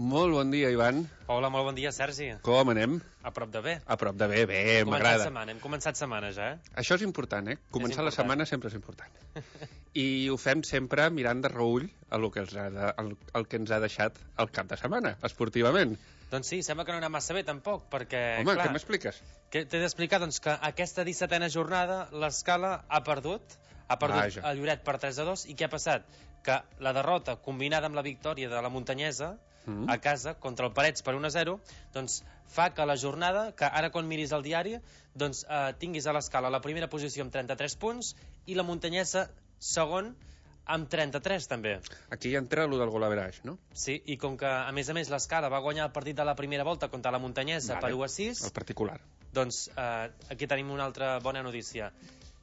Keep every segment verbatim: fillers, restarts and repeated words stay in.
Molt bon dia, Ivan. Hola, molt bon dia, Sergi. Com anem? A prop de bé. A prop de bé, bé, m'agrada. Hem començat setmana ja, eh? Això és important, eh? Començar la setmana sempre és important. I ho fem sempre mirant de reull el que, els ha de, el, el que ens ha deixat el cap de setmana, esportivament. Doncs sí, sembla que no ha anat massa bé, tampoc, perquè... Home, clar, què m'expliques? T'he d'explicar, doncs, que aquesta dissetena jornada l'Escala ha perdut, ha perdut Vaja. el Lloret per tres a dos, i què ha passat? Que la derrota, combinada amb la victòria de la Muntanyesa, mm. a casa, contra el Parets per un a zero, doncs fa que la jornada, que ara quan miris el diari, doncs eh, tinguis a l'Escala la primera posició amb trenta-tres punts, i la Muntanyesa segon amb trenta-tres també. Aquí entra allò del golaverage, no? Sí, i com que a més a més l'Escala va guanyar el partit de la primera volta contra la Muntanyesa vale. per u a sis, el particular, doncs eh, aquí tenim una altra bona notícia.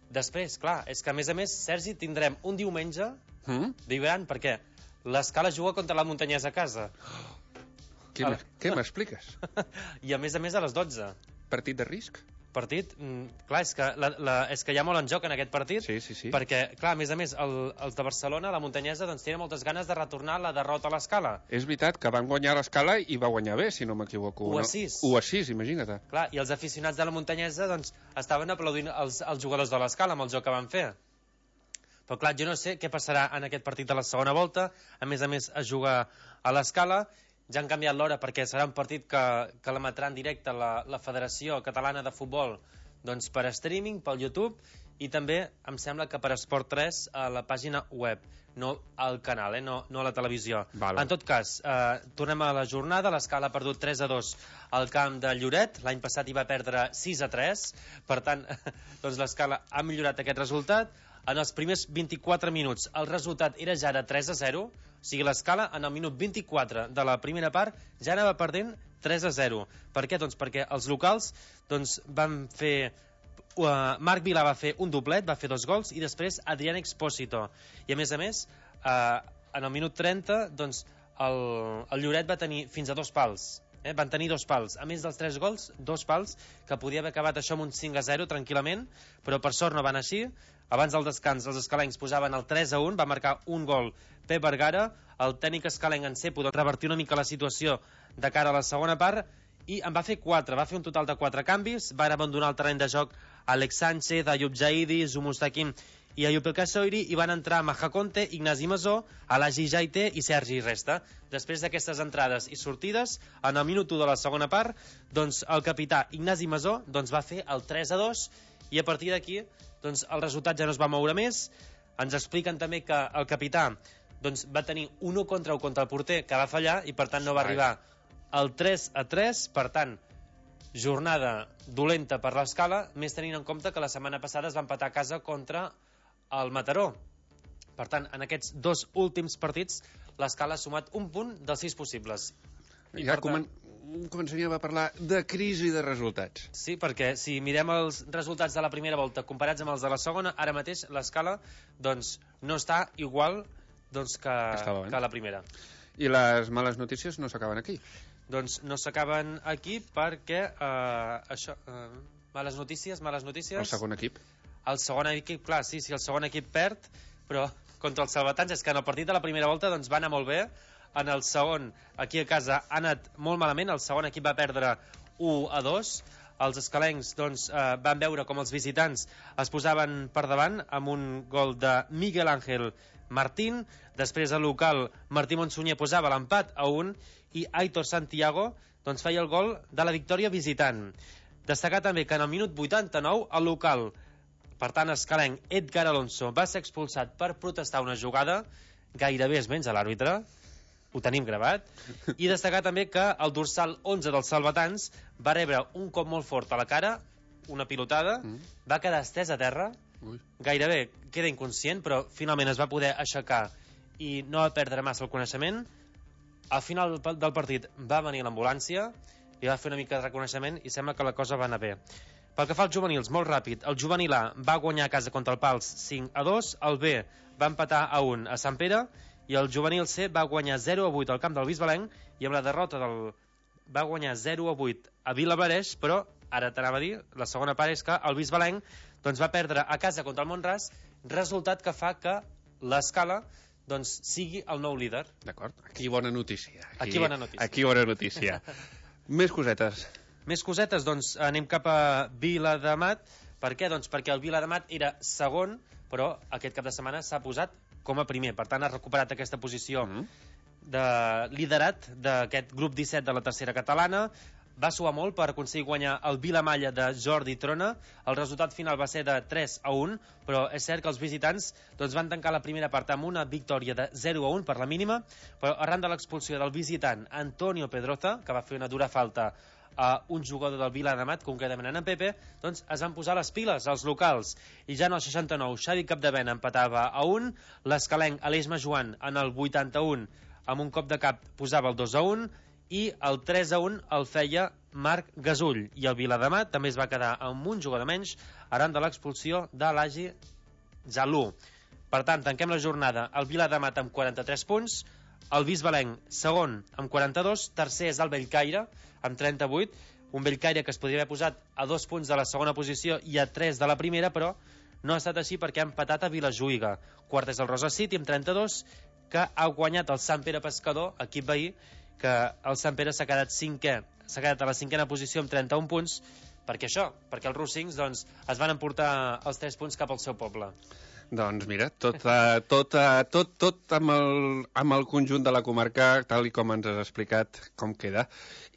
Després, clar, és que a més a més, Sergi, tindrem un diumenge mm? vibrant, perquè l'Escala juga contra la Muntanyesa a casa. Què, què m'expliques? I a més a més a les dotze. Partit de risc? Partit, mm, clar, és que, la, la, és que hi ha molt en joc en aquest partit, sí, sí, sí. perquè, clar, a més a més, el, els de Barcelona, la Muntanyesa, doncs tenen moltes ganes de retornar la derrota a l'Escala. És veritat que van guanyar l'Escala i va guanyar bé, si no m'equivoco. u a sis. No? u a sis, imagina't. Clar, i els aficionats de la Muntanyesa, doncs, estaven aplaudint els, els jugadors de l'Escala amb el joc que van fer. Però clar, jo no sé què passarà en aquest partit de la segona volta. A més a més, es juga a l'Escala. Ja han canviat l'hora perquè serà un partit que, que l'emetrà en directe la, la Federació Catalana de Futbol, doncs per streaming, pel YouTube, i també em sembla que per Esport tres a la pàgina web, no al canal, eh? no, no a la televisió. Vale. En tot cas, eh, tornem a la jornada. l'Escala ha perdut tres a dos al camp de Lloret, l'any passat hi va perdre sis a tres, per tant, doncs l'Escala ha millorat aquest resultat. En els primers vint-i-quatre minuts el resultat era ja de tres a zero, o sigui, l'Escala en el minut vint-i-quatre de la primera part ja anava perdent tres a zero. Per què? Doncs perquè els locals doncs, van fer... Uh, Marc Vilà va fer un doblet, va fer dos gols, i després Adrián Expósito. I a més a més, uh, en el minut trenta, doncs, el, el Lloret va tenir fins a dos pals. Eh? Van tenir dos pals, a més dels tres gols, dos pals, que podia haver acabat això amb un cinc a zero tranquil·lament, però per sort no van així. Abans del descans els escalencs posaven el tres a un, va marcar un gol Pep Vergara, el tècnic escalenc en Cepo de revertir una mica la situació de cara a la segona part, i en va fer quatre, va fer un total de quatre canvis. Va abandonar el terreny de joc Alex Sánchez, Ayub Jaidi, Zumustakim i Ayub El Kassoiri, i van entrar Maja Conte, Ignasi Masó, Alagi Jaite i Sergi Resta. Després d'aquestes entrades i sortides, en el minut u de la segona part, doncs el capità Ignasi Masó doncs va fer el tres a dos, i a partir d'aquí doncs el resultat ja no es va moure més. Ens expliquen també que el capità doncs, va tenir un u contra u contra el porter, que va fallar, i per tant no va arribar al tres a tres. Per tant, jornada dolenta per l'Escala, més tenint en compte que la setmana passada es va empatar a casa contra el Mataró. Per tant, en aquests dos últims partits l'Escala ha sumat un punt dels sis possibles. I ja tant, comen començaríem a parlar de crisi de resultats. Sí, perquè si mirem els resultats de la primera volta comparats amb els de la segona, ara mateix l'Escala doncs, no està igual doncs, que, que la primera. I les males notícies no s'acaben aquí? Doncs no s'acaben aquí perquè eh, això, eh, males notícies, males notícies. El segon equip? El segon equip, clar, sí, sí, el segon equip perd, però contra els salvatans és que en el partit de la primera volta doncs, va anar molt bé. En el segon, aquí a casa, ha anat molt malament. El segon equip va perdre u a dos. Els escalencs doncs, eh, van veure com els visitants es posaven per davant amb un gol de Miguel Ángel Martín. Després el local Martí Monsunyer posava l'empat a un, i Aitor Santiago doncs, feia el gol de la victòria visitant. Destacar també que en el minut vuitanta-nou el local, per tant escalenc, Edgar Alonso, va ser expulsat per protestar una jugada. Gairebé es menja l'àrbitre, ho tenim gravat. I destacar també que el dorsal onze dels salvatans va rebre un cop molt fort a la cara, una pilotada, mm. va quedar estès a terra. Ui. Gairebé queda inconscient, però finalment es va poder aixecar i no va perdre massa el coneixement. Al final del partit va venir l'ambulància i va fer una mica de reconeixement, i sembla que la cosa va anar bé. Pel que fa als juvenils, molt ràpid, el juvenil A va guanyar a casa contra el Pals cinc a dos, el B va empatar a un a Sant Pere, i el juvenil C va guanyar zero a vuit al camp del Bisbalenc, i amb la derrota del... va guanyar zero a vuit a Vilablareix, però ara t'anava a dir, la segona part és que el Bisbalenc doncs, va perdre a casa contra el Mont-ras, resultat que fa que l'Escala doncs, sigui el nou líder. D'acord, aquí bona notícia. Aquí, aquí bona notícia. Aquí bona notícia. Més cosetes. Més cosetes, doncs anem cap a Viladamat. Per què? Doncs perquè el Viladamat era segon, però aquest cap de setmana s'ha posat com a primer. Per tant, ha recuperat aquesta posició mm. de liderat d'aquest grup disset de la tercera catalana. Va suar molt per aconseguir guanyar el Vilamalla de Jordi Trona. El resultat final va ser de tres a un, però és cert que els visitants doncs, van tancar la primera part amb una victòria de zero a un per la mínima, però arran de l'expulsió del visitant Antonio Pedroza, que va fer una dura falta a un jugador del Viladamat, concretament en Pepe, doncs es van posar les piles als locals. I ja en el seixanta-nou, Xavi Capdevena empatava a un, l'escalenc Aleix Majoan en el vuitanta-un amb un cop de cap posava el dos a un, i el tres a un el feia Marc Gasull, i el Viladamat també es va quedar amb un jugador menys arran de l'expulsió de l'Agi Zalú. Per tant, tanquem la jornada el Viladamat amb quaranta-tres punts, el Bisbalenc segon amb quaranta-dos, tercer és el Bellcaire amb trenta-vuit, un Bellcaire que es podria haver posat a dos punts de la segona posició i a tres de la primera, però no ha estat així perquè ha empatat a Vilajuïga. Quart és el Rosa City amb trenta-dos, que ha guanyat el Sant Pere Pescador, equip veí, que el Sant Pere s'ha quedat cinquè, s'ha quedat a la cinquena posició amb trenta-un punts. Per què això? Perquè els rossings doncs, es van emportar els tres punts cap al seu poble. Doncs mira, tot, uh, tot, uh, tot, tot amb, el, amb el conjunt de la comarca, tal i com ens has explicat com queda.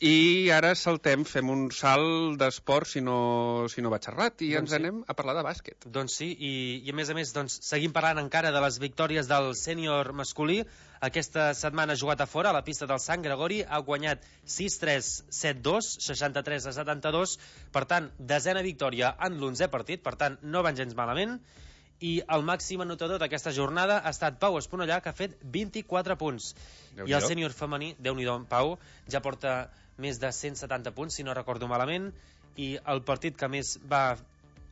I ara saltem, fem un salt d'esport, si no, si no vaig errat, i doncs ens sí. anem a parlar de bàsquet. Doncs sí, i, i a més a més doncs, seguim parlant encara de les victòries del sènior masculí. Aquesta setmana ha jugat a fora, a la pista del Sant Gregori, ha guanyat sis tres, set dos, seixanta-tres a setanta-dos, per tant, desena victòria en l'onzè partit, per tant, no van gens malament. I el màxim anotador d'aquesta jornada ha estat Pau Esponellà, que ha fet vint-i-quatre punts. I el sènior femení, Déu-n'hi-do, Pau, ja porta més de cent setanta punts, si no recordo malament, i el partit que més va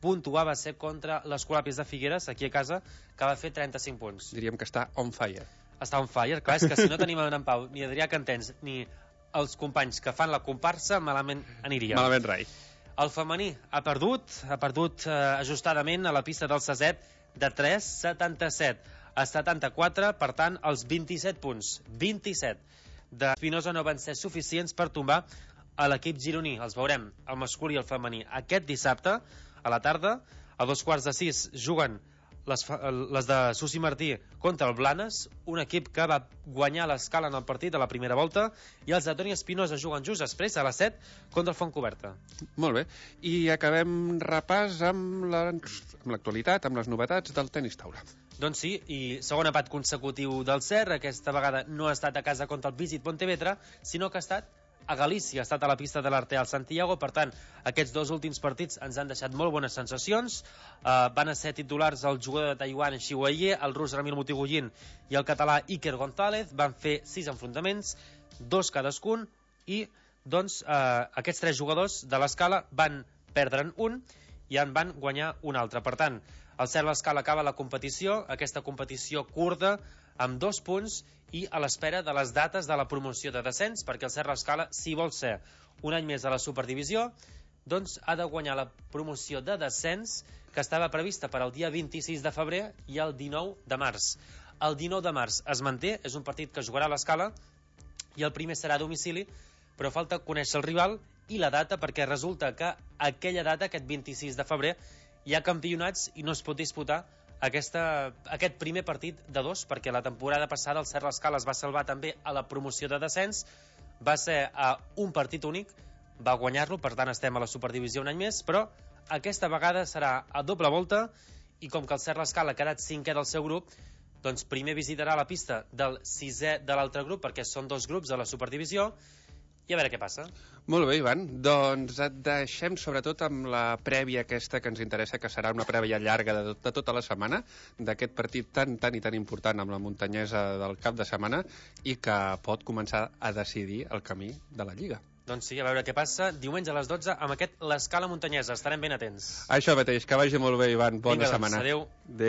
puntuar va ser contra l'Escolapis de Figueres, aquí a casa, que va fer trenta-cinc punts. Diríem que està on fire. Està on fire, clar, és que si no tenim en Pau, ni Adrià Cantens, ni els companys que fan la comparsa, malament aniria. Malament rai. El femení ha perdut, ha perdut eh, ajustadament a la pista del Saset, de tres setanta-set a setanta-quatre, per tant, els vint-i-set punts, vint-i-set de Espinosa no van ser suficients per tombar a l'equip gironí. Els veurem, el masculí i el femení, aquest dissabte, a la tarda, a dos quarts de sis, juguen les, les de Susi Martí contra el Blanes, un equip que va guanyar l'escala en el partit de la primera volta, i els de Toni Espinosa juguen just després, a les set, contra el Fontcoberta. Molt bé, i acabem repàs amb l'actualitat, amb les novetats del tenis taula. Doncs sí, i segon empat consecutiu del C E R, aquesta vegada no ha estat a casa contra el Visit Pontevedra, sinó que ha estat a Galícia, ha estat a la pista de l'Arteal Santiago. Per tant, aquests dos últims partits ens han deixat molt bones sensacions. Uh, van a ser titulars el jugador de Taiwan Xi Weie, el rus Ramil Motigullin i el català Iker González. Van fer sis enfrontaments, dos cadascun, i doncs uh, aquests tres jugadors de l'escala van perdre'n un i en van guanyar un altre. Per tant, el C E R l'escala acaba la competició, aquesta competició curta, amb dos punts, i a l'espera de les dates de la promoció de descens, perquè el C E R l'escala, si vol ser un any més a la superdivisió, doncs ha de guanyar la promoció de descens que estava prevista per al dia vint-i-sis de febrer i el dinou de març. El dinou de març es manté, és un partit que jugarà a l'escala, i el primer serà a domicili, però falta conèixer el rival i la data, perquè resulta que aquella data, aquest vint-i-sis de febrer, hi ha campionats i no es pot disputar aquesta, aquest primer partit de dos, perquè la temporada passada el C E R l'escala es va salvar també a la promoció de descens, va ser a un partit únic, va guanyar-lo, per tant estem a la superdivisió un any més, però aquesta vegada serà a doble volta, i com que el C E R l'escala ha quedat cinquè del seu grup, doncs primer visitarà la pista del sisè de l'altre grup, perquè són dos grups a la superdivisió, i a veure què passa. Molt bé, Ivan. Doncs et deixem sobretot amb la prèvia aquesta que ens interessa, que serà una prèvia llarga de, tot, de tota la setmana, d'aquest partit tan, tan i tan important amb la muntanyesa del cap de setmana, i que pot començar a decidir el camí de la Lliga. Doncs sí, a veure què passa. Diumenge a les dotze amb aquest l'Escala Muntanyesa. Estarem ben atents. Això mateix, que vagi molt bé, Ivan. Bona Vinga, setmana. Doncs, adéu. Adéu.